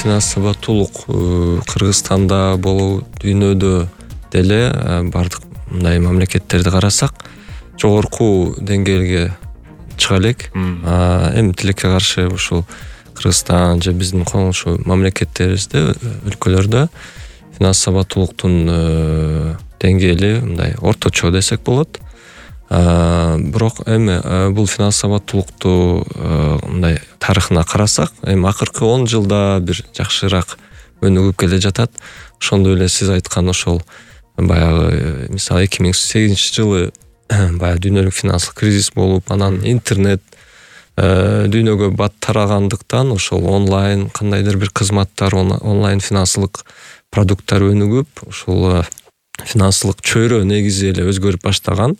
финанс сабаттуулук Кыргызстанда болобу, дүйнөдө деле бардык мындай мамлекеттерди карасак жогорку деңгээлге чыга элек. Эми тилекке каршы ушул Кыргызстан же биздин коңшу мамлекеттерибизде, өлкөлөрдө финанс сабаттуулуктун деңгээли мындай орточо десек болот. Бирок эми бул финанс сабаттуулукту мындай тарыхына карасак, эми акыркы 10 жылда бир жакшыраак өнүгүп келе жатат. Ошондой эле сиз айткан ошол баягы мисалы 2008-жылы баягы дүйнөлүк финансылык кризис болуп, анан интернет дүйнөгө бат тарагандыктан ошол онлайн кандайдыр бир кызматтар, онлайн финансылык продукттар өнүгүп, ушул финансылык чөйрө негизи эле өзгөрүп баштаган.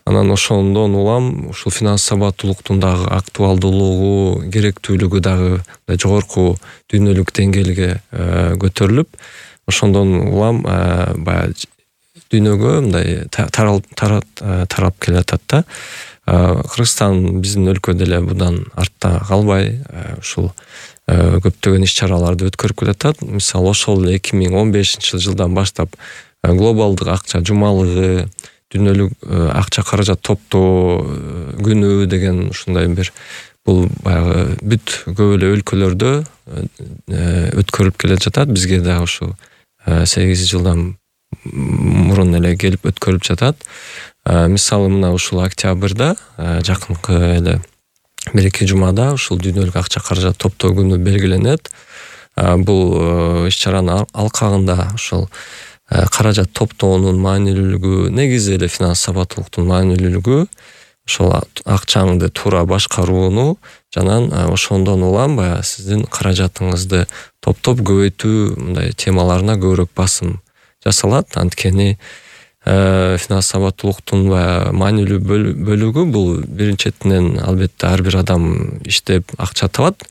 Анан ошондон улам ушул финанс сабаттуулуктун дагы актуалдуулугу, керектүүлүгү дагы жогорку дүйнөлүк деңгээлге көтөрүлүп, ошондон улам баягы дүйнөгө мындай тарап келе жатат да. Кыргызстан биздин өлкө деле будан артта калбай ушул көптөгөн иш-чараларды өткөрүп келатат. Мисалы ошол 2015-жылдан баштап глобалдык акча жумалыгы, дүйнөлүк акча каражат топтоо күнү деген ушундай бир бул баягы бүт көп эле өлкөлөрдө өткөрүлүп келе жатат. Бизге да ушу 8 жылдан мурун эле келип өткөрүлүп жатат. Мисалы мына ушул октябрда жакынкы эле 1-2 жумада ушул дүйнөлүк акча каражат топтоо күнү белгиленет. Бул иш-чаранын алкагында ушул каражат топтоонун маанилүүлүгү, негизи эле финанс сабаттуулуктун маанилүүлүгү ошол акчаңды туура башкарууну жана ошондон улам баягы сиздин каражатыңызды топтоп көбөйтүү мындай темаларына көбүрөөк басым жасалат. Анткени финанс сабаттуулуктун маанилүү бөлүгү бул биринчиден албетте ар бир адам иштеп акча табат.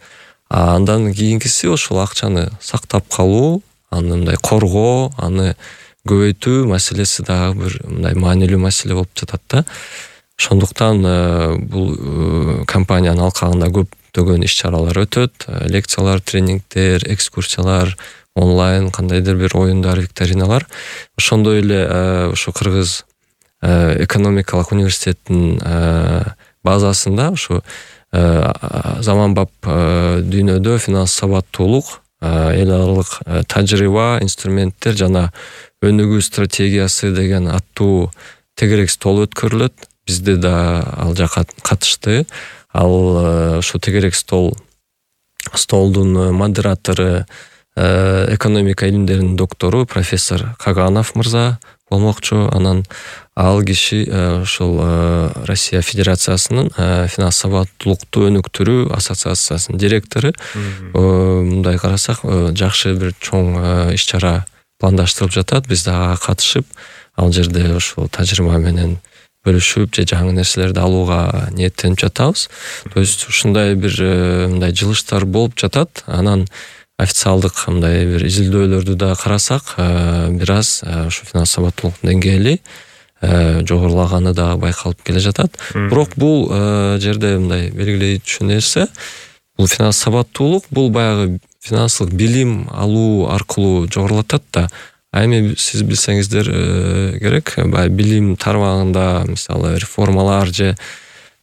Андан кийинкиси ошол акчаны сактап калуу, аны мындай коргоо, аны көбөйтүү маселеси дагы бир мындай маанилүү маселе болуп жатат да. Ошондуктан бул компаниянын алкагында көптөгөн иш-чаралар өтөт, лекциялар, тренингдер, экскурсиялар, онлайн кандайдыр бир оюндар, викториналар. Ошондой эле ошо Кыргыз экономикалык университеттин базасында ошо заманбап дүйнөдө финанс сабаттуулук, эл аралык тажрыйба, инструменттер жана өнүгүү стратегиясы деген аттуу тегерек стол өткөрүлөт. Бизде да ал жака катышты. Ал ошо тегерек столдун модератору экономика илимдеринин доктору профессор Каганов мырза болмокчу. Анан ал киши ошол Россия Федерациясынын финанс сабаттуулукту өнүктүрүү ассоциациясынын директору. Мындай карасак жакшы бир чоң иш-чара пландаштырылып жатат. Биз дагы катышып, ал жерде ошол тажрыйба менен бөлүшүп же жаңы нерселерди алууга ниеттенип жатабыз. То есть ушундай бир мындай жылыштар болуп жатат. Анан официалдык мындай бир изилдөөлөрдү да карасак, бир аз ушу финанс сабаттуулуктун деңгээли жогорулаганы да байкалып келе жатат. Бирок бул жерде мындай белгилейчү нерсе, бул финанс сабаттуулук бул баягы финансылык билим алуу аркылуу жогорулатат да. Эми сиз билсеңиздер керек, баягы билим тармагында мисалы реформалар же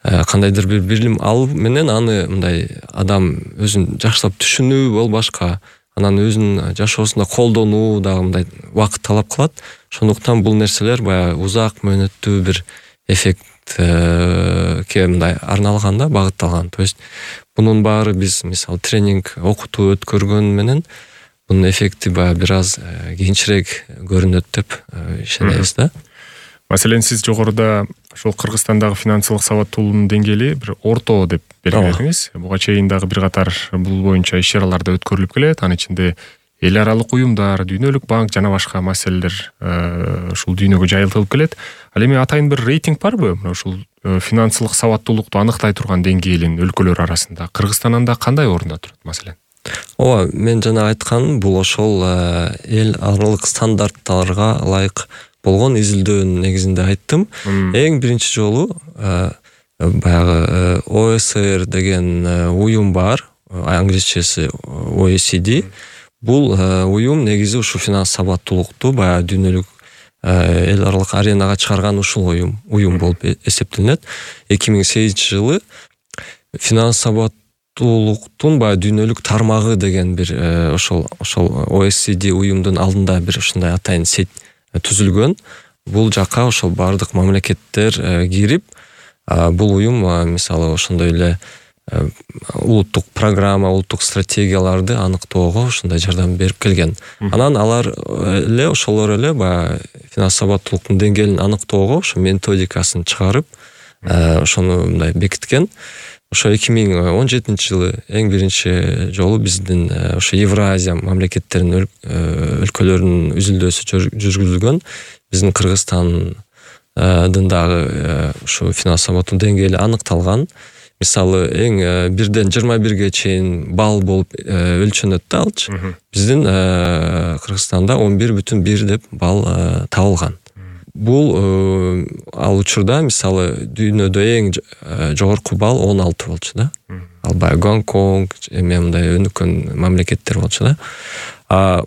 кандайдыр бир билим алуу менен аны мындай адам өзүн жакшылап түшүнүү болбашка, анан өзүнүн жашоосунда колдонуу дагы мындай убакыт талап кылат. Ошондуктан бул нерселер баягы узак мөөнөттүү бир эффектке мындай арналган да, багытталган. То есть бунун баары биз мисалы тренинг, окутуу өткөргөн менен бунун эффекти баягы бир аз кийинчерээк көрүнөт деп ишенебиз да. Маселен, сиз жогоруда ошол Кыргызстандагы финансылык сабаттуулугунун деңгээли бир орто деп белгиледиңиз. Буга чейин дагы бир катар бул боюнча иш-чаралар да өткөрүлүп келет. Анын ичинде эл аралык уюмдар, дүйнөлүк банк жана башка маселелер ушул дүйнөгө жайылтылып келет. Ал эми атайын бир рейтинг барбы? Ушул финансылык сабаттуулукту аныктай турган деңгээлин өлкөлөр арасында Кыргызстан анда кандай орунда турат маселен? Ооба, мен жана айтканым бул ошол эл аралык стандарттарга ылайык болгон изилдөөнүн негизинде айттым. Эң биринчи жолу баягы ОСР деген уюм бар, англисчеси OECD. Бул уюм негизи ушу финанс сабаттуулукту баягы дүйнөлүк эл аралык аренага чыгарган ушул уюм болуп эсептелинет. 2008-жылы финанс сабаттуулуктун баягы дүйнөлүк тармагы деген бир ошол OECD уюмдун алдында бир ушундай атайын сеть түзүлгөн. Бул жака ошол бардык мамлекеттер кирип, бул уюм мисалы ошондой эле улуттук программа, улуттук стратегияларды аныктоого ушундай жардам берип келген. Анан алар эле ошолор эле баягы финанс сабаттуулуктун деңгээлин аныктоого ошо методикасын чыгарып, ошону мындай бекиткен. Ошо 2017-жылы эң биринчи жолу биздин ошо Евразия мамлекеттеринин өлкөлөрүнүн үзүлдөсү жүргүзүлгөн. Биздин Кыргызстандын дагы ушу финанс сабаттуу деңгээли аныкталган. Мисалы эң 1ден 21ге чейин балл болуп өлчөнөт да алчы. Биздин Кыргызстанда 11,1 деп балл табылган. Бул ал учурда мисалы дүйнөдө эң жогорку балл 16 болчу да. Ал баягы Гонконг мындай өнүккөн мамлекеттер болчу да.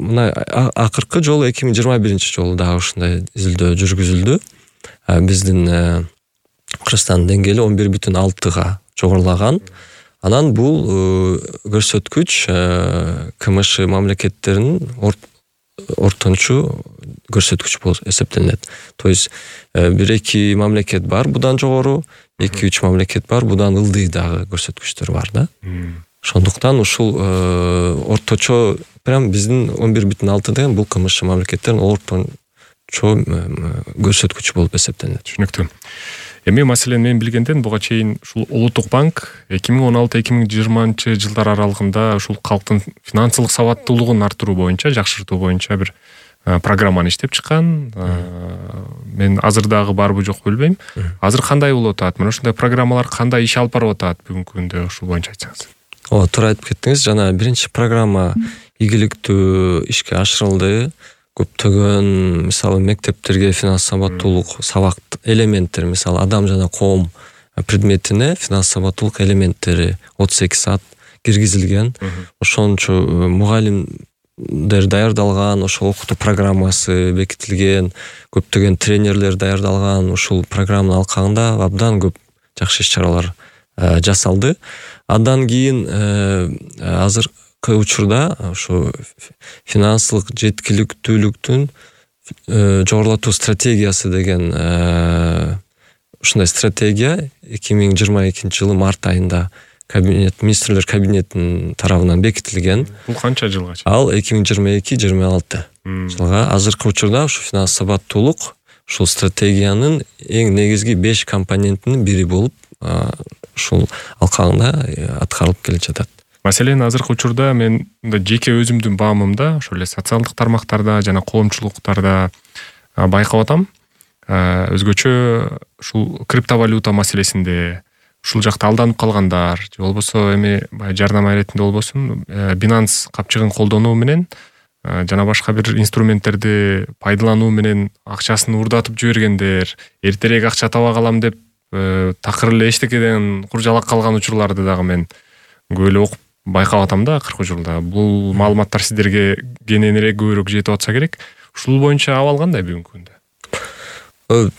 Мына акыркы жолу 2021-жолу дагы ушундай изилдөө жүргүзүлдү. Биздин Кыргызстандын деңгээли 11,6-га жогорулаган. Анан бул көрсөткүч КМШ мамлекеттеринин ортончу көрсөткүч болуп эсептелинет. То есть 1-2 мамлекет бар будан жогору, 2-3 мамлекет бар будан ылдый дагы көрсөткүчтөр бар да. Ошондуктан ушул орточо прям биздин 11,6 деген бул КМШ мамлекеттеринин орточо көрсөткүчү болуп эсептелинет. Түшүнүктүү. Эми маселен мен билгенден буга чейин ушул Улуттук банк 2016-2020 жылдар аралыгында ушул калктын финансылык сабаттуулугун арттыруу боюнча, жакшыртуу боюнча бир программаны иштеп чыккан. Мен азыр дагы барбы жокпу билбейм. Азыр кандай болуп атат? Мына ушундай программалар кандай иш алып барып атат бүгүнкү күндө, ушул боюнча айтсаңыз. Туура айтып кеттиңиз. Жана биринчи программа ийгиликтүү ишке ашырылды. Көптөгөн мисалы мектептерге финанс сабаттуулук сабак элементтер, мисалы адам жана коом предметине финанс сабаттуулук элементтери 32 саат киргизилген. Ошончо мугалимдер даярдалган, ошол окутуу программасы бекитилген, көптөгөн тренерлер даярдалган. Ушул программанын алкагында абдан көп жакшы иш-чаралар жасалды. Андан кийин азыркы учурда ошо финансылык жеткиликтүүлүктүн жогорулатуу стратегиясы деген ушундай стратегия 2022-жылы март айында министрлер кабинетинин тарабынан бекитилген. Бул канча жылга чейин? Ал 2022-26 жылга. Азыркы учурда ушу финанс сабаттуулук ушул стратегиянын эң негизги 5 компонентинин бири болуп ушул алкагында аткарылып келе жатат. Маселен, азыркы учурда мен жеке өзүмдүн баамымда, ошол эле социалдык тармактарда жана коомчулуктарда байкап атам. Өзгөчө ушул криптовалюта маселесинде ушул жакта алданып калгандар, же болбосо эми жардам иретинде болбосун, Binance капчыгын колдонуу менен жана башка бир инструменттерди пайдалануу менен акчасын урдатып жибергендер, эртерээк акча таба калам деп такыр эле эчтекеден куржалак калган учурларды дагы мен көп эле окуп байкап атам да акыркы жылда. Бул маалыматтар сиздерге кененирээк көбүрөөк жетип атса керек. Ушул боюнча абал кандай бүгүнкү күндө?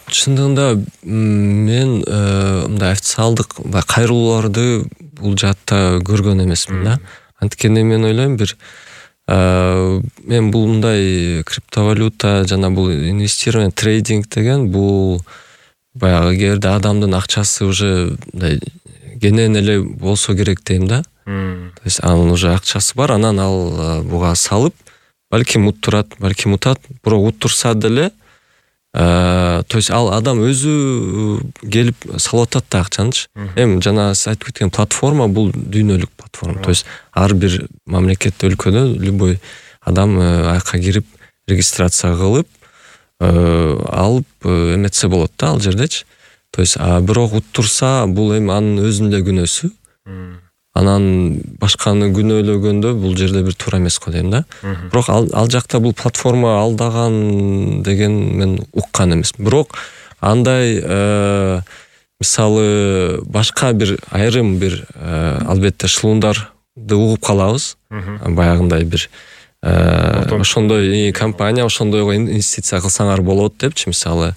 Чындыгында мен мындай официалдык кайрылууларды бул жаатта көргөн эмесмин да. Анткени мен ойлойм мен бул мындай криптовалюта жана бул инвестирование, трейдинг деген бул баягы эгерде адамдын акчасы уже мындай кенен эле болсо керек дейм да. То есть анын уже акчасы бар, анан ал буга салып, балким уттурат, балким утат, бирок уттурса деле, то есть ал адам өзү келип салып атат да акчанычы. Эми жана сиз айтып кеткен платформа бул дүйнөлүк платформа. То есть ар бир мамлекетте, өлкөдө любой адам аяка кирип регистрация кылып алып эметсе болот да ал жердечи. То есть бирок уттурса бул эми анын өзүнүн эле күнөөсү. Анан башканы күнөөлөгөндө бул жерде бир туура эмес го дейм да. Бирок ал жакта бул платформа алдаган деген мен уккан эмес. Бирок андай мисалы башка бир айрым бир албетте шылуундар угуп калабыз. Баягындай бир ошондой компания ошондойго инвестиция кылсаңар болот депчи, мисалы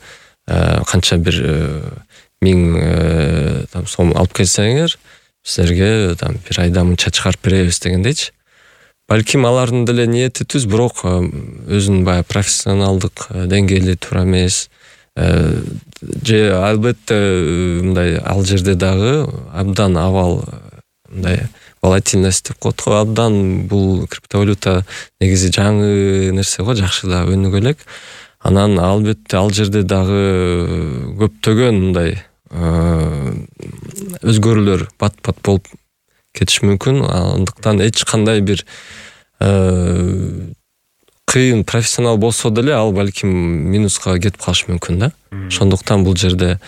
канча бир 1000 сом алып келсеңер силерге бир айда мынча чыгарып беребиз дегендейчи. Балким алардын деле ниети түз, бирок өзүнүн баягы профессионалдык деңгээли туура эмес. Же албетте мындай ал жерде дагы абдан абал мындай волатильность деп коет го, абдан бул криптовалюта негизи жаңы нерсе го, жакшы да өнүгө элек. Анан албетте ал жерде дагы көптөгөн мындай өзгөрүүлөр бат-бат болуп кетиш мүмкүн. Андыктан эч кандай бир кыйын профессионал болсо деле ал балким минуска кетип калышы мүмкүн да. Ошондуктан бул жерде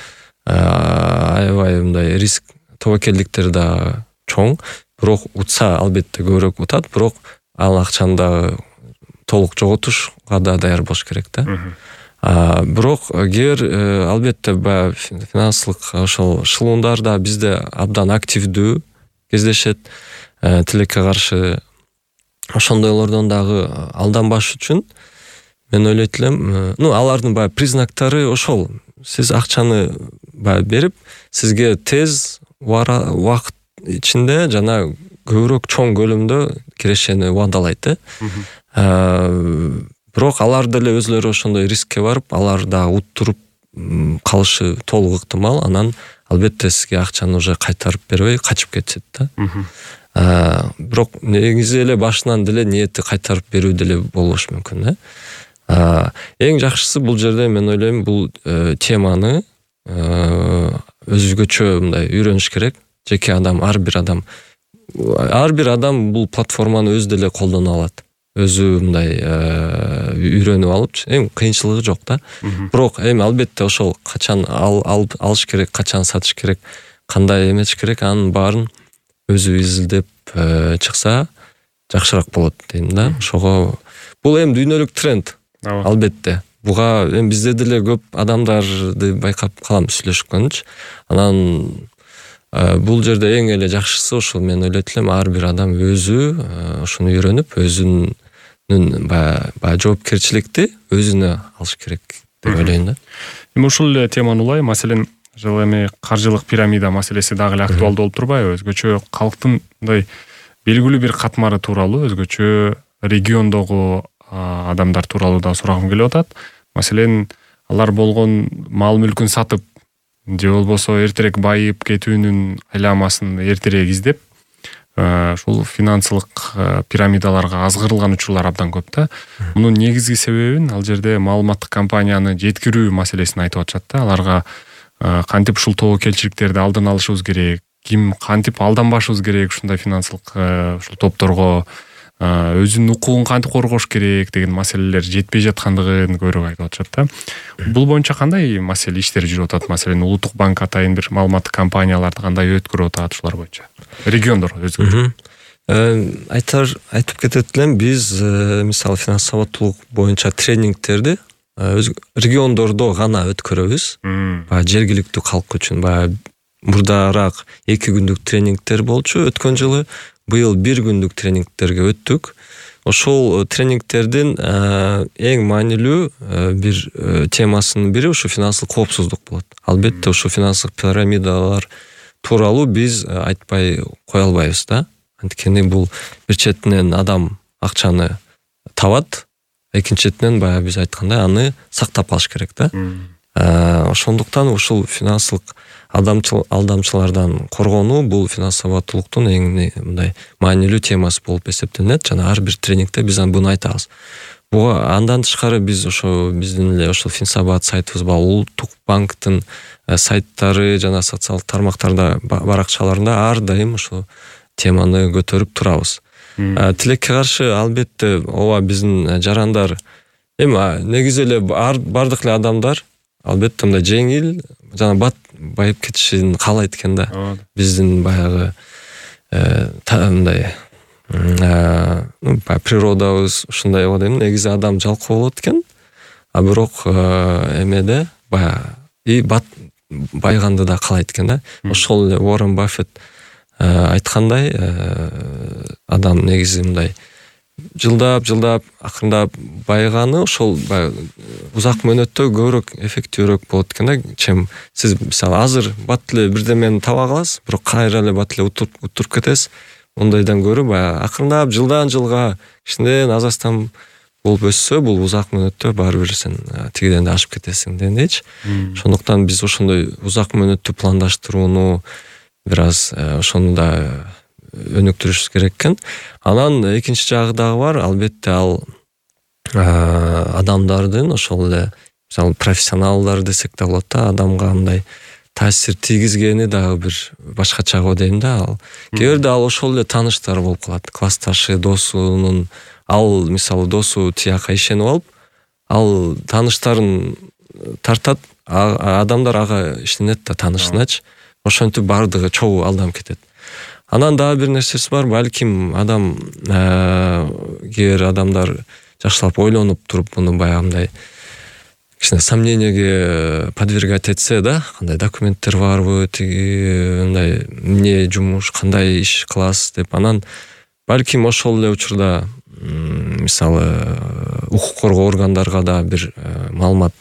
аябай мындай риск, тобокелдиктер да чоң. Бирок утса албетте көбүрөөк утат, бирок ал акчаны да толук жоготушка да даяр болуш керек да. Бирок кээ бир албетте баягы финансылык ошол шылуундар да бизде абдан активдүү кездешет. Тилекке каршы ошондойлордон дагы алданбаш үчүн мен ойлойт элем, алардын баягы признактары ошол. Сиз акчаны баягы берип, сизге тез убакыт ичинде жана көбүрөөк чоң көлөмдө кирешени убадалайт. Бирок алар деле өзлөрү ошондой рискке барып, алар да уттуруп калышы толук ыктымал. Анан албетте сизге акчаны уже кайтарып бербей качып кетет да. Бирок негизи эле башынан деле ниети кайтарып берүү деле болуш мүмкүн да. Эң жакшысы бул жерде мен ойлойм, бул теманы өзгөчө мындай үйрөнүш керек. Жеке адам, ар бир адам бул платформаны өзү деле колдоно алат. Өзү мындай үйрөнүп алып, эми кыйынчылыгы жок да. Бирок эми албетте ошол качан алыш керек, качан сатыш керек, кандай эметиш керек, анын баарын өзү изилдеп чыкса жакшыраак болот дейм да. Ошого бул эми дүйнөлүк тренд. Албетте. Буга эми бизде деле көп адамдарды байкап калам сүйлөшкөнчү. Анан бул жерде эң эле жакшысы ошол, мен ойлойт элем, ар бир адам өзү ошону үйрөнүп, өзүнүн баягы жоопкерчиликти өзүнө алыш керек деп ойлойм да. Эми ушул эле теманы улай, маселен, жыл эми каржылык пирамида маселеси дагы эле актуалдуу болуп турбайбы? Өзгөчө калктын мындай белгилүү бир катмары тууралуу, өзгөчө региондогу адамдар тууралуу да сурагым келип атат. Маселен, алар болгон мал мүлкүн сатып, же болбосо эртерээк байып кетүүнүн айламасын эртерээк издеп, ушул финансылык пирамидаларга азгырылган учурлар абдан көп да. Мунун негизги себебин ал жерде маалыматтык компанияны жеткирүү маселесин айтып атышат да. Аларга кантип ушул тобокелчиликтерди алдын алышыбыз керек, ким кантип алданбашыбыз керек ушундай финансылык ушул топторго, өзүнүн укугун кантип коргош керек деген маселелер жетпей жаткандыгын көбүрөөк айтып атышат да. Бул боюнча кандай маселе иштер жүрүп атат? Маселен, улуттук банк атайын бир маалыматтык компанияларды кандай өткөрүп атат ушулар боюнча? Региондор өзгөчө. Айтып кетет элем, биз мисалы финанс сабаттуулук боюнча тренингтерди региондордо гана өткөрөбүз. Баягы жергиликтүү калк үчүн баягы мурдараак 2 күндүк тренингтер болчу өткөн жылы. Быйыл 1 күндүк тренингтерге өттүк. Ошол тренингтердин эң маанилүү бир темасынын бири ушу финансылык коопсуздук болот. Албетте ушу финансылык пирамидалар тууралуу биз айтпай кое албайбыз да. Анткени бул бир четинен адам акчаны табат, экинчи четинен баягы биз айткандай аны сактап калыш керек да. Ошондуктан ушул финансылык алдамчылардан коргонуу бул финанс сабаттуулуктун эң мындай маанилүү темасы болуп эсептелет. Жана ар бир тренингте биз буну айтабыз. Буга андан тышкары биз ошо биздин эле ошол Финсабат сайтыбыз бар, улуттук банктын сайттары жана социалдык тармактарда баракчаларында ар дайым ошол теманы көтөрүп турабыз. Тилекке каршы албетте ооба биздин жарандар эми негизи эле бардык эле адамдар албетте мындай жеңил жана байып кетишин каалайт экен да. Биздин баягы мындай природабыз ушундай го дейм. Негизи адам жалкоо болот экен. Бирок эмеде баягы байганды да каалайт экен да. Ошол эле Уоррен Баффет айткандай, адам негизи мындай жылдап акырындап байыганы ошол узак мөөнөттө көбүрөөк эффектүүрөөк болот экен да, чем сиз мисалы азыр бат эле бирдемени таба каласыз, бирок кайра эле бат эле утуруп кетесиз. Ондойдон көрө баягы акырындап жылдан жылга кичинеден азастан болуп өссө, бул узак мөөнөттө баары бир сен тигиден да ашып кетесиң дегендейчи. Ошондуктан биз ошондой узак мөөнөттүү пландаштырууну бир аз ошону да өнүктүрүшүбүз керек экен. Анан экинчи жагы дагы бар. Албетте ал адамдардын ошол эле мисалы профессионалдар десек да болот да, адамга мындай таасир тийгизгени дагы бир башкача го дейм да. Ал кээ бирде ал ошол эле тааныштар болуп калат. Классташы, досунун, ал мисалы досу тияка ишенип алып, ал тааныштарын тартат, адамдар ага ишенет да таанышыначы. Ошентип бардыгы чогуу алданып кетет. Анан дагы бир нерсеси бар, балким адам кээ адамдар жакшылап ойлонуп туруп муну баягындай кичине сомнениеге подвергать этсе да, кандай документтер барбы, тиги мындай эмне жумуш, кандай иш кыласыз деп, анан балким ошол эле учурда мисалы укук коргоо органдарга да бир маалымат,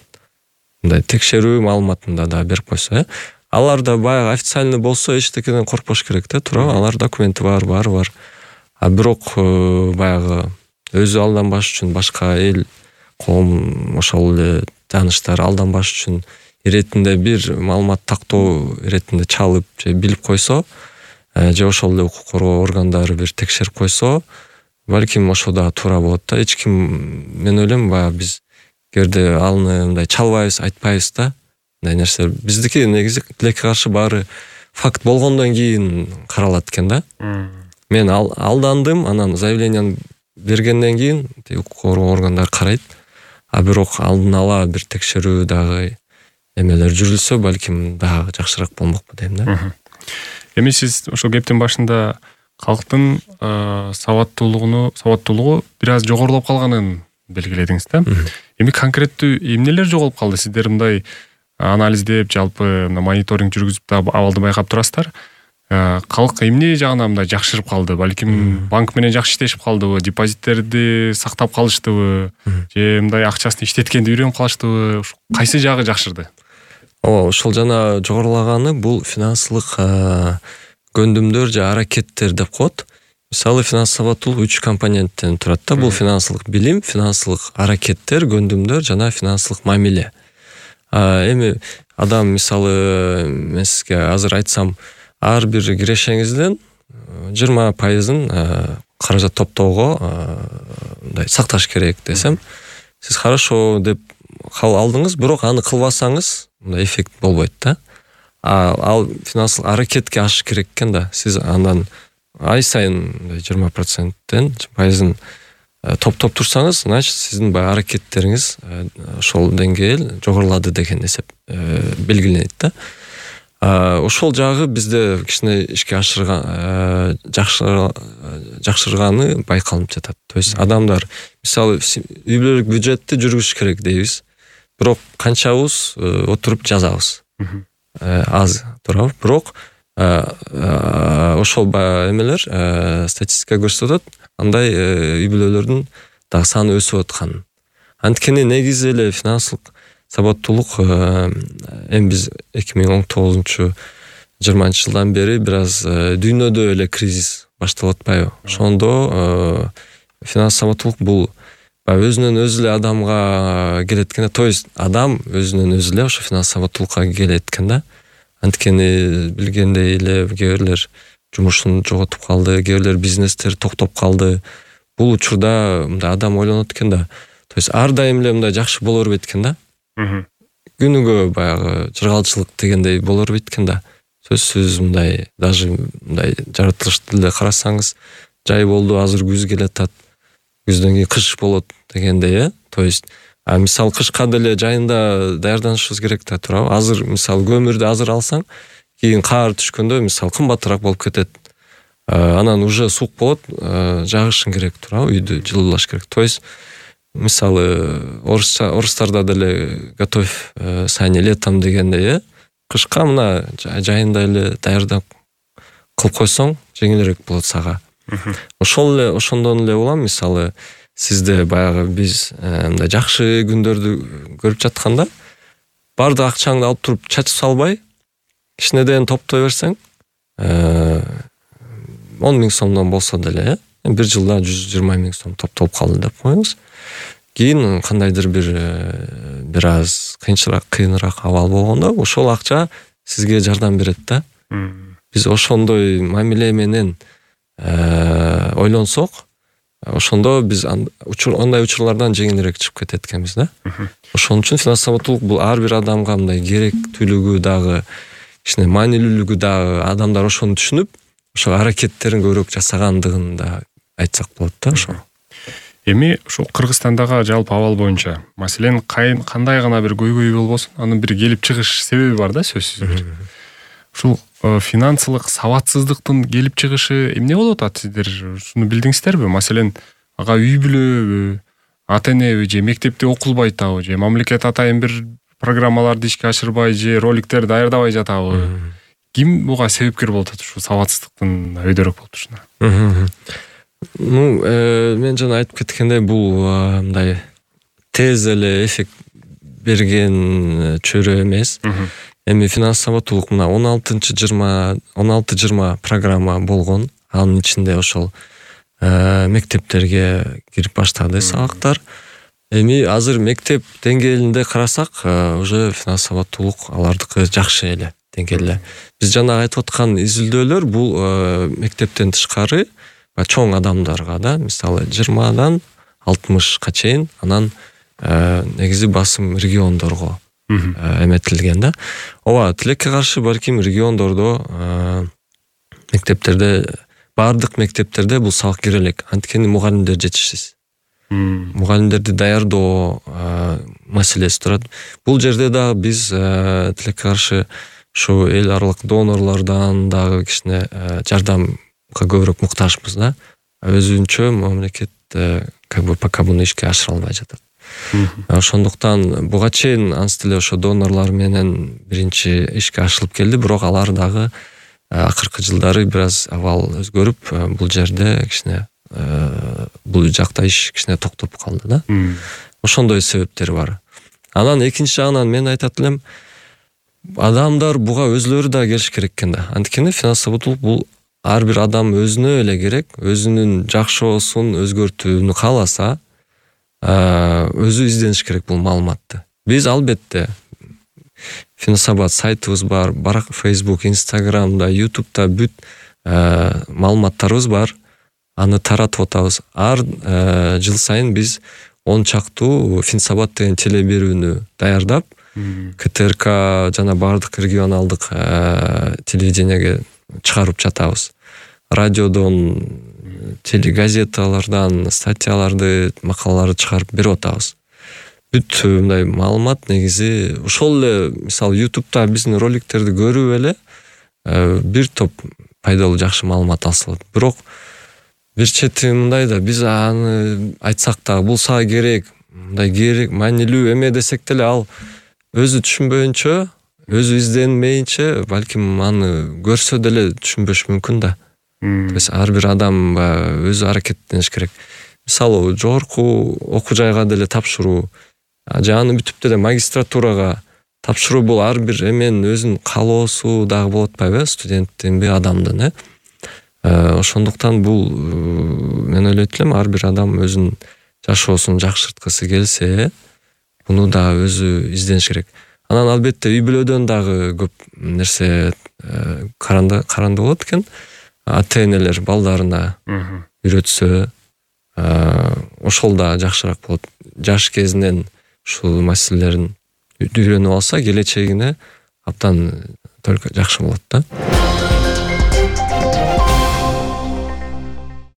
мындай текшерүү маалыматында да берип койсо, алар да баягы официальный болсо эчтекеден коркпош керек да, туурабы? Алар документи бар, баары бар. Бирок баягы өзү алданбаш үчүн, башка эл, коом, ошол эле тааныштар алданбаш үчүн иретинде бир маалымат тактоо иретинде чалып же билип койсо, же ошол эле укук коргоо органдары бир текшерип койсо, балким ошо да туура болот да. Эч ким, мен ойлойм, баягы биз кээде аны мындай чалбайбыз, айтпайбыз да. Мындай нерсе биздики негизи тилекке каршы баары факт болгондон кийин каралат экен да. Мен алдандым, анан заявленияны бергенден кийин укук коргоо органдары карайт. Бирок алдын ала бир текшерүү дагы эмелер жүрүлсө, балким дагы жакшыраак болмокпу дейм да. Эми сиз ошол кептин башында калктын сабаттуулугу бир аз жогорулап калганын белгиледиңиз да. Эми конкреттүү эмнелер жоголуп калды? Сиздер мындай анализдеп, жалпы мониторинг жүргүзүп да абалды байкап турасыздар. Калк эмне жагынан мындай жакшырып калды? Балким банк менен жакшы иштешип калдыбы, депозиттерди сактап калыштыбы, же мындай акчасын иштеткенди үйрөнүп калыштыбы? Кайсы жагы жакшырды? Ошол жана жогорулаганы бул финансылык көндүмдөр же аракеттер деп коет. Мисалы финансылык сабаттуулук 3 компоненттен турат да. Бул финансылык билим, финансылык аракеттер, көндүмдөр жана финансылык мамиле. Эми адам мисалы мен сизге азыр айтсам, ар бир кирешеңизден 20% каражат топтоого мындай сакташ керек десем, сиз хорошо деп кабыл алдыңыз, бирок аны кылбасаңыз мындай эффект болбойт да. Ал финансылык аракетке ашыш керек экен да. Сиз андан ай сайын 20%-тен пайызын топтоп турсаңыз, значит сиздин баягы аракеттериңиз ошол деңгээл жогорулады деген эсеп белгиленет да. Ошол жагы бизде кичине ишке жакшырганы байкалып жатат. То есть адамдар мисалы үй бүлөлүк бюджетти жүргүзүш керек дейбиз. Бирок канчабыз отуруп жазабыз. Аз, туурабы? Бирок ошол эмелер статистика көрсөтөт, андай үй бүлөлөрдүн дагы саны өсүп атканын. Анткени негизи эле финансылык сабаттуулук эми биз 2019-20 жылдан бери бир аз дүйнөдө эле кризис башталып атпайбы? Ошондо финансылык сабаттуулук бул өзүнөн өзү эле адамга келет экен. То есть адам өзүнөн өзү эле ошо финансылык сабаттуулукка келет экен да. Анткени билгендей эле кээ бирлер жумушун жоготуп калды, кээ бирлер бизнестер токтоп калды. Бул учурда мындай адам ойлонот экен да. То есть ар дайым эле мындай жакшы боло бербейт экен да. Күнүгө баягы жыргалчылык дегендей боло бербейт экен да. Сөзсүз мындай даже мындай жаратылышты эле карасаңыз, жай болду, азыр күз келатат, күздөн кийин кыш болот дегендей, То есть мисалы кышка деле жайында даярданышыбыз керек да, туурабы? Азыр мисалы көмүрдү азыр алсаң, кийин каар түшкөндө мисалы кымбатыраак болуп кетет. Анан уже суук болот, жагышың керек, туурабы? Үйдү жылуулаш керек. То есть мисалы орустарда деле готовь сани летом дегендей, кышка мына жайында эле даярдап кылып койсоң, жеңилирээк болот сага. Ошондон эле улам мисалы сизде баягы биз мындай жакшы күндөрдү көрүп жатканда баардык акчаңды алып туруп чачып салбай кичинеден топтой берсең 10 000 сомдон болсо деле бир жылда 120 000 сом топтолуп калды деп коюңуз. Кийин кандайдыр бир аз кыйыныраак абал болгондо ошол акча сизге жардам берет да. Биз ошондой мамиле менен ойлонсок, ошондо биз ондай учурлардан жеңилирээк чыгып кетет экенбиз да. Ошон үчүн финанс сабаттуулук бул ар бир адамга мындай керектүүлүгү дагы, кичине маанилүүлүгү дагы, адамдар ошону түшүнүп, ошо аракеттерин көбүрөөк жасагандыгын да айтсак болот да ошо. Эми ушул Кыргызстандагы жалпы абал боюнча, маселен, кандай гана бир көйгөй болбосун, анын бир келип чыгыш себеби бар да, сөзсүз. Ушул финансылык сабатсыздыктын келип чыгышы эмне болуп атат, сиздер ушуну билдиңиздерби? Маселен, ага үй бүлөбү, ата-энеби же мектепте окулбай атабы, же мамлекет атайын бир программаларды ишке ашырбай же роликтер даярдабай жатабы? Ким буга себепкер болуп атат ушул сабатсыздыктын өйдөрөк болуп турушуна? Мен жана айтып кеткендей, бул мындай тез эле эффект берген чөйрө эмес. Эми финанс сабаттуулук мына 16-20 программа болгон. Анын ичинде ошол мектептерге кирип баштады сабактар. Эми азыр мектеп деңгээлинде карасак, уже финанс сабаттуулук алардыкы жакшы эле деңгээлде. Биз жана айтып аткан изилдөөлөр бул мектептен тышкары чоң адамдарга да, мисалы 20-дан 60-ка чейин, анан негизи басым региондорго эметилген да. Ооба, тилекке каршы балким региондордо мектептерде, баардык мектептерде бул сабак керелек. Анткени мугалимдер жетишсиз. Мугалимдерди даярдоо маселеси турат. Бул жерде да биз тилекке каршы ушу эл аралык донорлордон дагы кичине жардамга көбүрөөк муктажбыз да. Өзүнчө мамлекет пока буну ишке ашыра албай жатат. Ошондуктан буга чейин анс деле ошо донорлор менен биринчи ишке ашырылып келди, бирок алар дагы акыркы жылдары бир аз абал өзгөрүп, бул жерде кичине бул жакта иш кичине токтоп калды да. Ошондой себептери бар. Анан экинчи жагынан мен айтат элем, адамдар буга өзлөрү да келиш керек экен да. Анткени финанс сабаттуулук бул ар бир адам өзүнө эле керек, өзүнүн жакшоосун өзгөртүүнү кааласа, өзү издениш керек бул маалыматты. Биз албетте Финсабат сайтыбыз бар, Facebook, Instagram'da, YouTube'da бүт маалыматтарыбыз бар. Аны таратып атабыз. Ар жыл сайын биз 10 чактуу Финсабат деген телеберүүнү даярдап, КТРК жана бардык регионалдык телевидениеге чыгарып жатабыз. Радиодон, телегазеталардан статьяларды, макалаларды чыгарып берип атабыз. Бүт мындай маалымат негизи ошол эле, мисалы YouTube'да биздин роликтерди көрүп эле бир топ пайдалуу жакшы маалымат алса болот. Бирок бир чети мындай да, биз аны айтсак да булса керек, мындай керек, маанилүү эме десек деле ал өзү түшүнбөйүнчө, өзү изденмейинче, балким аны көрсө деле түшүнбөш мүмкүн да. То есть ар бир адам өзү аракеттениш керек. Мисалы жогорку окуу жайга деле тапшыруу, же аны бүтүп деле магистратурага тапшыруу, бул ар бир эменин өзүнүн каалоосу дагы болот атпайбы, студенттинби, адамдын, ошондуктан бул мен ойлойт элем, ар бир адам өзүнүн жашоосун жакшырткысы келсе, буну да өзү издениш керек. Анан албетте үй бүлөдөн дагы көп нерсе каранды болот экен. Ата-энелер балдарына үйрөтсө, ошол да жакшыраак болот. Жаш кезинен ушул маселелерин үйрөнүп алса, келечегине абдан только жакшы болот да.